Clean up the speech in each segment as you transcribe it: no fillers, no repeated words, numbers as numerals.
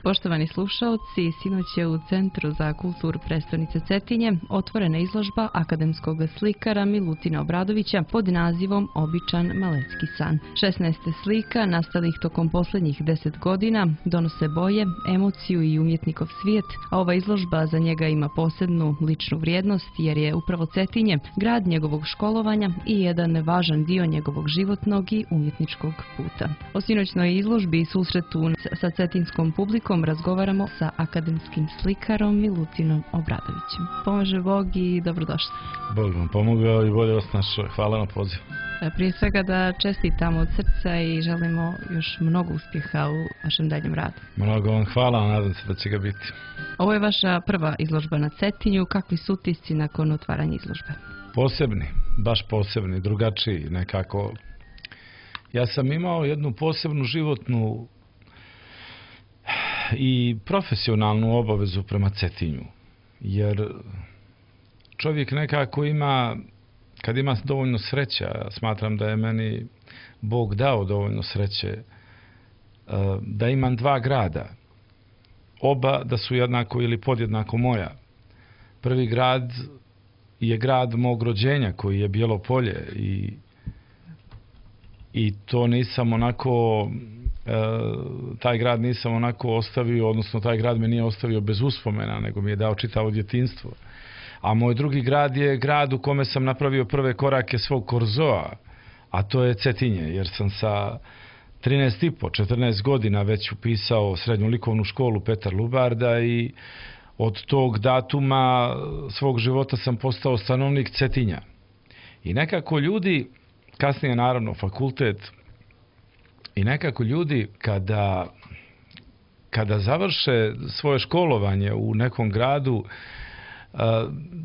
Poštovani slušaoci, sinoć je u Centru za kulturu prestonice Cetinje otvorena izložba akademskog slikara Milutina Obradovića pod nazivom Običan malecki san. 16 slika nastalih tokom posljednjih 10 godina donose boje, emociju i umjetnikov svijet, a ova izložba za njega ima posebnu ličnu vrijednost jer je upravo Cetinje grad njegovog školovanja i jedan važan dio njegovog životnog i umjetničkog puta. O sinoćnoj izložbi i susretu sa cetinskom publikom razgovaramo sa akademskim slikarom Milutinom Obradovićem. Pomaže Bog i dobrodošli. Bog vam pomogao i bolje vas našao. Hvala na pozivu. Prije svega da čestitamo od srca i želimo još mnogo uspjeha u vašem daljem radu. Mnogo vam hvala, nadam se da će ga biti. Ovo je vaša prva izložba na Cetinju. Kakvi su utisci nakon otvaranja izložbe? Posebni, baš posebni, drugačiji nekako. Ja sam imao jednu posebnu životnu i profesionalnu obavezu prema Cetinju, jer čovjek nekako ima, kad ima dovoljno sreća, smatram da je meni Bog dao dovoljno sreće, da imam dva grada, oba da su jednako ili podjednako moja. Prvi grad je grad mog rođenja koji je Bijelo Polje i to nisam onako, taj grad nisam onako ostavio, odnosno taj grad me nije ostavio bez uspomena, nego mi je dao čitavo djetinjstvo. A moj drugi grad je grad u kome sam napravio prve korake svog korzoa, a to je Cetinje, jer sam sa 14 godina već upisao srednju likovnu školu Petar Lubarda i od tog datuma svog života sam postao stanovnik Cetinja. I nekako ljudi, kasnije naravno fakultet, i nekako ljudi kada završe svoje školovanje u nekom gradu,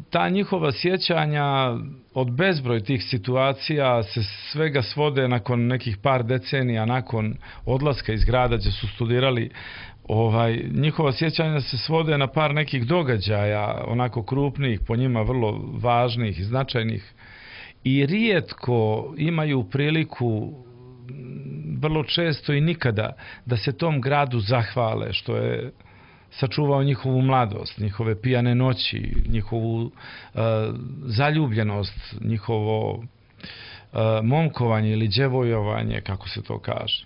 ta njihova sjećanja od bezbroj tih situacija se svega svode nakon nekih par decenija, nakon odlaska iz grada gdje su studirali, njihova sjećanja se svode na par nekih događaja, onako krupnih, po njima vrlo važnih i značajnih, i rijetko imaju priliku, vrlo često i nikada, da se tom gradu zahvale što je sačuvao njihovu mladost, njihove pijane noći, njihovu zaljubljenost, njihovo momkovanje ili djevojovanje, kako se to kaže.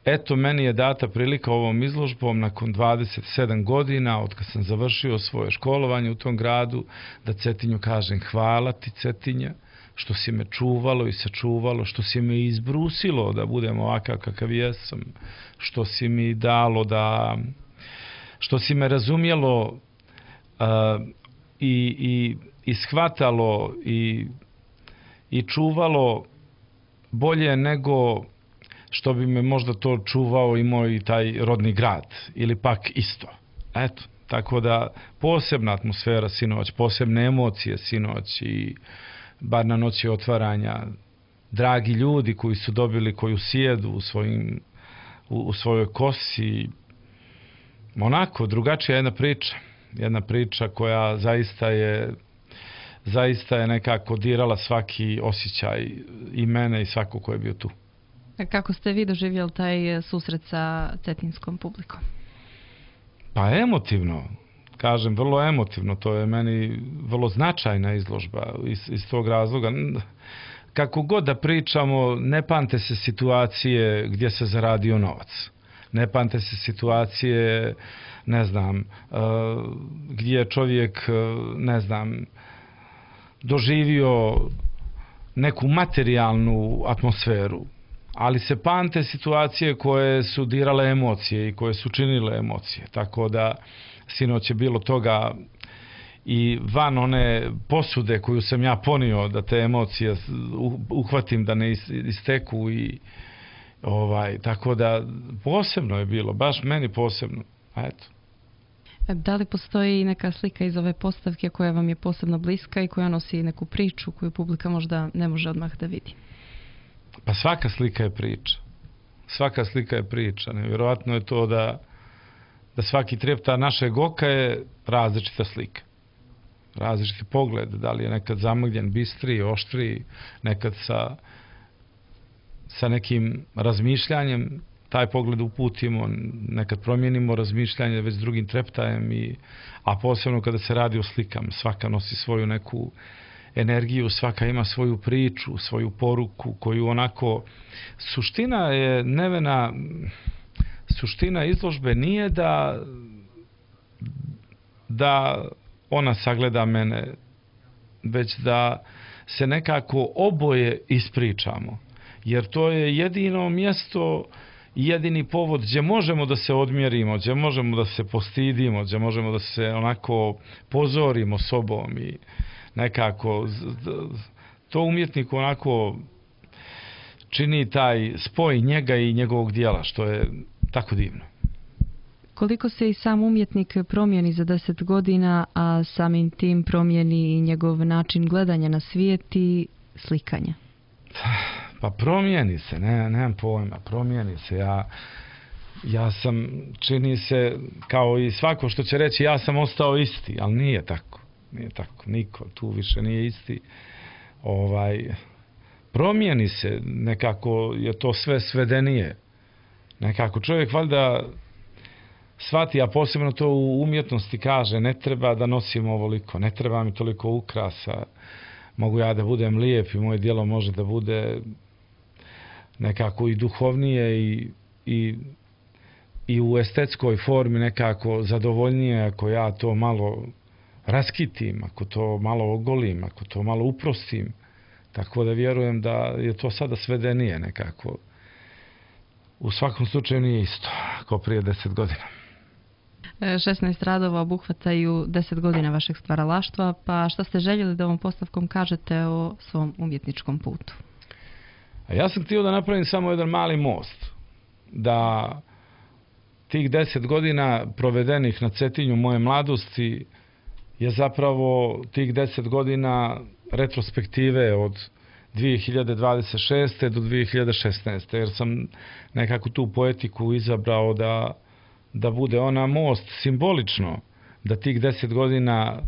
Eto, meni je data prilika ovom izložbom nakon 27 godina, od kad sam završio svoje školovanje u tom gradu, da Cetinju kažem hvala ti, Cetinja, što si me čuvalo i sačuvalo, što si me izbrusilo da budem ovakav kakav jesam, što si mi dalo da, što si me razumjelo i shvatalo i čuvalo bolje nego što bi me možda to čuvao i moj taj rodni grad, ili pak isto. Eto, tako da posebna atmosfera sinoć, posebne emocije sinoć i bar na noći otvaranja, dragi ljudi koji su dobili koju sjedu u svojoj kosi, onako drugačija jedna priča koja zaista je nekako dirala svaki osjećaj i mene i svako ko je bio tu. Kako ste vi doživjeli taj susret sa cetinskom publikom? Pa emotivno. Kažem, vrlo emotivno, to je meni vrlo značajna izložba iz tog razloga. Kako god da pričamo, ne pamte se situacije gdje se zaradio novac. Ne pamte se situacije, ne znam, gdje je čovjek, ne znam, doživio neku materijalnu atmosferu. Ali se pamte situacije koje su dirale emocije i koje su činile emocije. Tako da sinoć je bilo toga i van one posude koju sam ja ponio da te emocije uhvatim, da ne isteku i tako da posebno je bilo, baš meni posebno. Eto. Da li postoji neka slika iz ove postavke koja vam je posebno bliska i koja nosi neku priču koju publika možda ne može odmah da vidi? Pa svaka slika je priča. Svaka slika je priča. Nevjerojatno je to da svaki trepta našeg oka je različita slika. Različiti pogled, da li je nekad zamagljen, bistriji, oštriji, nekad sa nekim razmišljanjem, taj pogled uputimo, nekad promijenimo razmišljanje već drugim treptajem, a posebno kada se radi o slikama. Svaka nosi svoju neku energiju, svaka ima svoju priču, svoju poruku koju onako... Suština je, Nevena, suština izložbe nije da ona sagleda mene, već da se nekako oboje ispričamo. Jer to je jedino mjesto i jedini povod gdje možemo da se odmjerimo, gdje možemo da se postidimo, gdje možemo da se onako pozorimo sobom i nekako to umjetniku onako čini taj spoj njega i njegovog dijela, što je tako divno. Koliko se i sam umjetnik promijeni za 10 godina, a samim tim promijeni i njegov način gledanja na svijet i slikanja? Pa promijeni se, nemam pojma, promijeni se. Ja sam, čini se, kao i svako što će reći, ja sam ostao isti, ali nije tako. Nije tako, niko tu više nije isti. Promijeni se, nekako je to sve svedenije. Nekako čovjek valjda shvati, a posebno to u umjetnosti kaže, ne treba da nosim ovoliko, ne treba mi toliko ukrasa, mogu ja da budem lijep i moje djelo može da bude nekako i duhovnije i u estetskoj formi nekako zadovoljnije ako ja to malo raskitim, ako to malo ogolim, ako to malo uprostim. Tako da vjerujem da je to sada svedenije nekako. U svakom slučaju nije isto kao prije 10 godina. 16 radova obuhvataju 10 godina vašeg stvaralaštva, pa šta ste željeli da ovom postavkom kažete o svom umjetničkom putu? A ja sam htio da napravim samo jedan mali most. Da tih 10 godina provedenih na Cetinju moje mladosti je zapravo tih 10 godina retrospektive od 2026. do 2016. Jer sam nekako tu poetiku izabrao da bude ona most simbolično, da tih 10 godina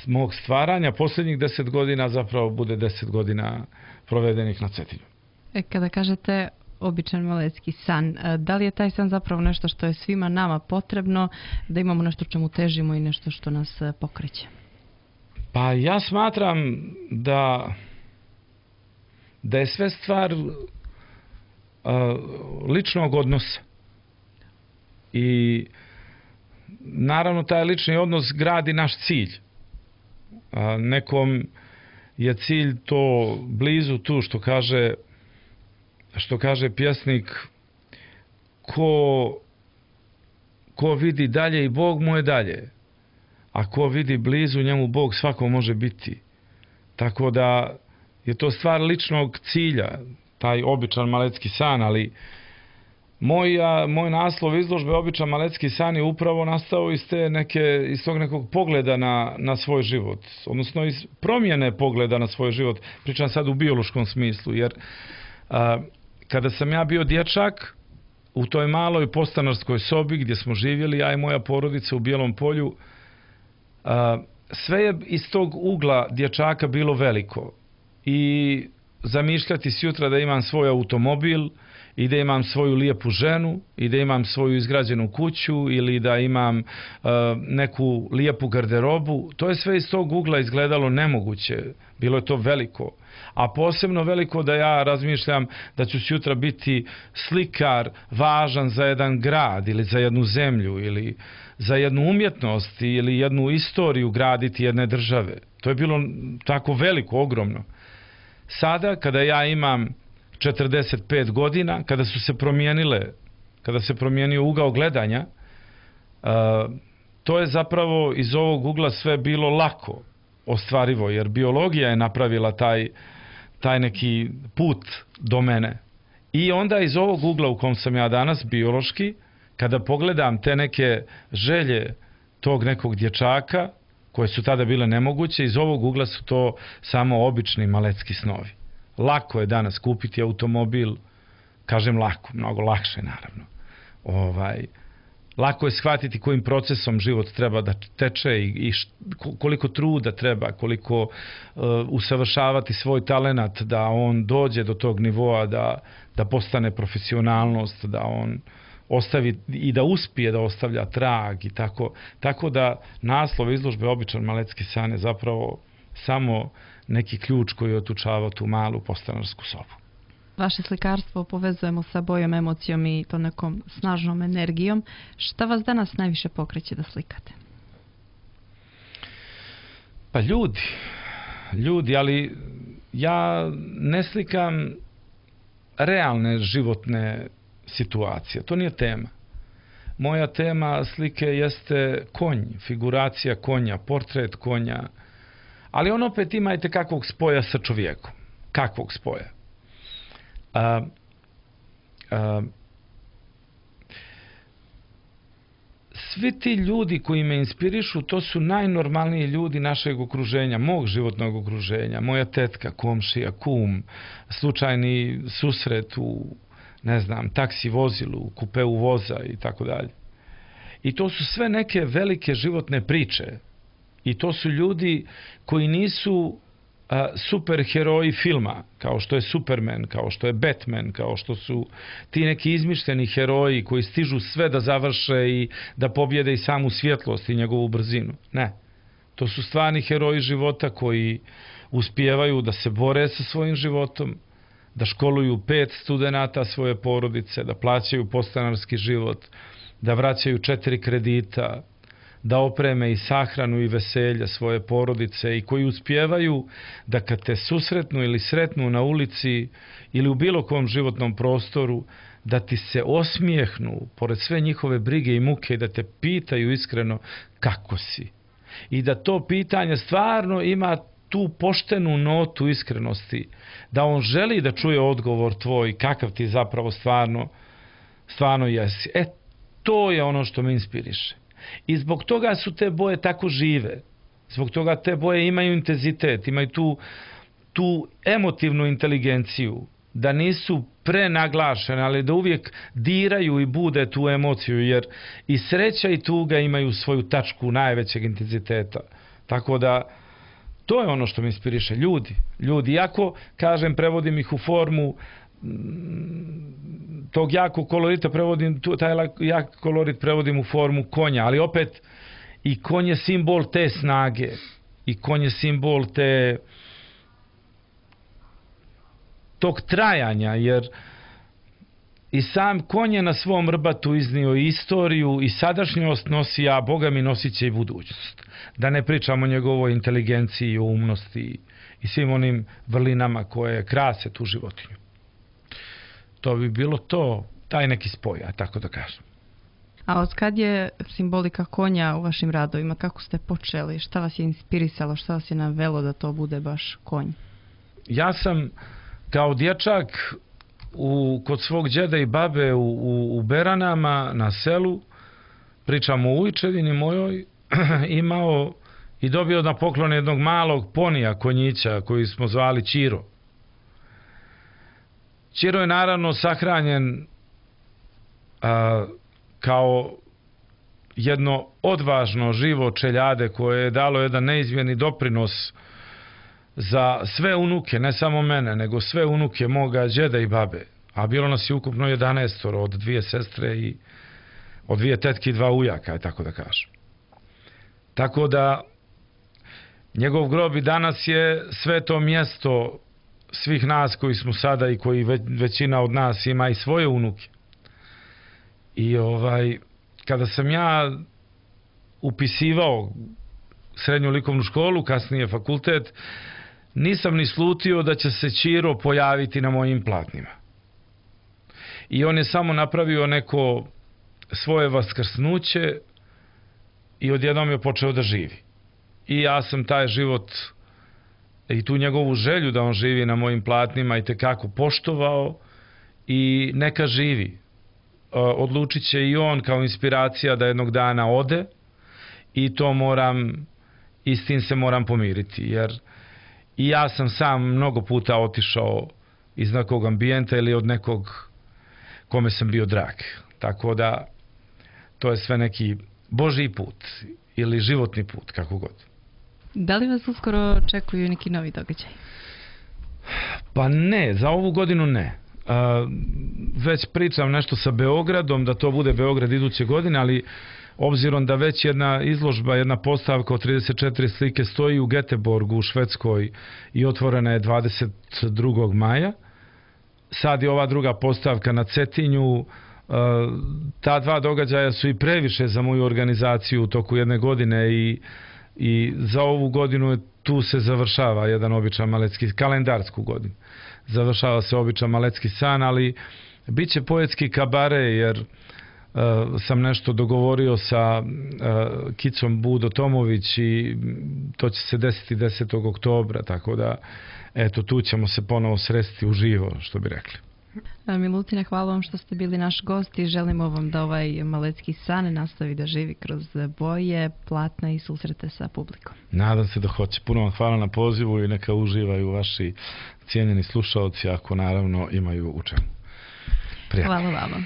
mog stvaranja, posljednjih 10 godina zapravo bude 10 godina provedenih na Cetinju. Kada kažete običan malecki san, da li je taj san zapravo nešto što je svima nama potrebno, da imamo nešto čemu težimo i nešto što nas pokreće? Pa ja smatram da je sve stvar ličnog odnosa. I naravno taj lični odnos gradi naš cilj. Nekom je cilj to blizu tu što kaže pjesnik, ko vidi dalje i Bog mu je dalje, a ko vidi blizu njemu Bog svako može biti. Tako da je to stvar ličnog cilja, taj običan malecki san, ali moj naslov izložbe Običan malecki san je upravo nastao iz tog nekog pogleda na svoj život, odnosno iz promjene pogleda na svoj život. Pričam sad u biološkom smislu, jer kada sam ja bio dječak u toj maloj podstanarskoj sobi gdje smo živjeli, ja i moja porodica u Bijelom Polju, sve je iz tog ugla dječaka bilo veliko. I zamišljati sjutra da imam svoj automobil i da imam svoju lijepu ženu i da imam svoju izgrađenu kuću ili da imam neku lijepu garderobu, to je sve iz tog ugla izgledalo nemoguće. Bilo je to veliko. A posebno veliko da ja razmišljam da ću sutra biti slikar važan za jedan grad ili za jednu zemlju ili za jednu umjetnost ili jednu istoriju graditi jedne države. To je bilo tako veliko, ogromno. Sada, kada ja imam 45 godina, kada se promijenio ugao gledanja, to je zapravo iz ovog ugla sve bilo lako ostvarivo, jer biologija je napravila taj neki put do mene. I onda iz ovog ugla u kom sam ja danas, biološki, kada pogledam te neke želje tog nekog dječaka, koje su tada bile nemoguće, iz ovog ugla su to samo obični malecki snovi. Lako je danas kupiti automobil, kažem lako, mnogo lakše naravno. lako je shvatiti kojim procesom život treba da teče i koliko truda treba, koliko usavršavati svoj talenat da on dođe do tog nivoa da postane profesionalnost, da on ostavi i da uspije da ostavlja trag i tako. Tako da naslov izložbe Običan malecki san je zapravo samo neki ključ koji je otučavao tu malu postanarsku sobu. Vaše slikarstvo povezujemo sa bojom, emocijom i to nekom snažnom energijom. Šta vas danas najviše pokreće da slikate? Pa ljudi, ali ja ne slikam realne životne situacije. To nije tema. Moja tema slike jeste konj, figuracija konja, portret konja, ali on opet ima i kakvog spoja sa čovjekom. Kakvog spoja? Svi ti ljudi koji me inspirišu, to su najnormalniji ljudi našeg okruženja, mog životnog okruženja, moja tetka, komšija, kum, slučajni susret u, ne znam, taksi vozilu, u kupeu voza i tako dalje. I to su sve neke velike životne priče. I to su ljudi koji nisu superheroji filma, kao što je Superman, kao što je Batman, kao što su ti neki izmišljeni heroji koji stižu sve da završe i da pobjede i samu svjetlost i njegovu brzinu. Ne. To su stvarni heroji života koji uspijevaju da se bore sa svojim životom, da školuju 5 studenata svoje porodice, da plaćaju podstanarski život, da vraćaju 4 kredita, da opreme i sahranu i veselje svoje porodice i koji uspijevaju da kad te susretnu ili sretnu na ulici ili u bilo kom životnom prostoru, da ti se osmijehnu pored sve njihove brige i muke i da te pitaju iskreno kako si. I da to pitanje stvarno ima tu poštenu notu iskrenosti, da on želi da čuje odgovor tvoj kakav ti zapravo stvarno jesi. To je ono što me inspiriše. I zbog toga su te boje tako žive. Zbog toga te boje imaju intenzitet, imaju tu emotivnu inteligenciju, da nisu prenaglašene, ali da uvijek diraju i bude tu emociju, jer i sreća i tuga imaju svoju tačku najvećeg intenziteta. Tako da, to je ono što me inspiriše. Ljudi, iako, kažem, prevodim ih u formu tog jakog kolorita, taj jak kolorit prevodim u formu konja, ali opet i konj je simbol te snage i konj je simbol tog trajanja, jer i sam konj je na svom rbatu iznio istoriju i sadašnjost nosi, a Boga mi nosit će i budućnost. Da ne pričamo o njegovoj inteligenciji, o umnosti i svim onim vrlinama koje krase tu životinju. To bi bilo taj neki spoj, tako da kažem. A od kad je simbolika konja u vašim radovima? Kako ste počeli? Šta vas je inspirisalo? Šta vas je navelo da to bude baš konj? Ja sam kao dječak kod svog djeda i babe u Beranama na selu, pričamo o ujčevini mojoj, imao i dobio na poklon jednog malog ponija konjića koji smo zvali Ćiro. Ćiro je naravno sahranjen kao jedno odvažno živo čeljade koje je dalo jedan neizmjerni doprinos za sve unuke, ne samo mene, nego sve unuke moga djeda i babe. A bilo nas je ukupno 11 od 2 sestre i od 2 tetke i 2 ujaka, tako da kažem. Tako da njegov grob i danas je sveto mjesto svih nas koji smo sada i koji većina od nas ima i svoje unuke. I kada sam ja upisivao srednju likovnu školu, kasnije fakultet, nisam ni slutio da će se Ćiro pojaviti na mojim platnima. I on je samo napravio neko svoje vaskrsnuće i odjednom je počeo da živi. I ja sam taj život i tu njegovu želju da on živi na mojim platnima i tekako poštovao i neka živi. Odlučit će i on kao inspiracija da jednog dana ode i to s tim se moram pomiriti, jer i ja sam sam mnogo puta otišao iz nekog ambijenta ili od nekog kome sam bio drag. Tako da to je sve neki Božji put ili životni put, kako god. Da li vas uskoro očekuju neki novi događaj? Pa ne, za ovu godinu ne. Već pričam nešto sa Beogradom, da to bude Beograd iduće godine, ali obzirom da već jedna izložba, jedna postavka od 34 slike stoji u Göteborgu u Švedskoj i otvorena je 22. maja, sad je ova druga postavka na Cetinju. Ta dva događaja su i previše za moju organizaciju u toku jedne godine i za ovu godinu tu se završava jedan običan malecki, kalendarsku godinu. Završava se običan malecki san, ali bit će poetski kabare, jer sam nešto dogovorio sa Kicom Budo Tomović i to će se desiti 10. oktobra, tako da eto, tu ćemo se ponovo sresti uživo, što bi rekli. Milutina, hvala vam što ste bili naš gost i želimo vam da ovaj malecki san nastavi da živi kroz boje, platna i susrete sa publikom. Nadam se da hoće. Puno vam hvala na pozivu i neka uživaju vaši cijenjeni slušaoci, ako naravno imaju u čemu. Prijatno. Hvala vama.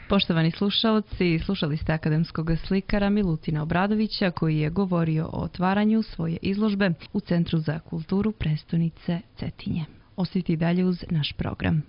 Poštovani slušaoci, slušali ste akademskog slikara Milutina Obradovića koji je govorio o otvaranju svoje izložbe u Centru za kulturu prestonice Cetinje. Ostite dalje uz naš program.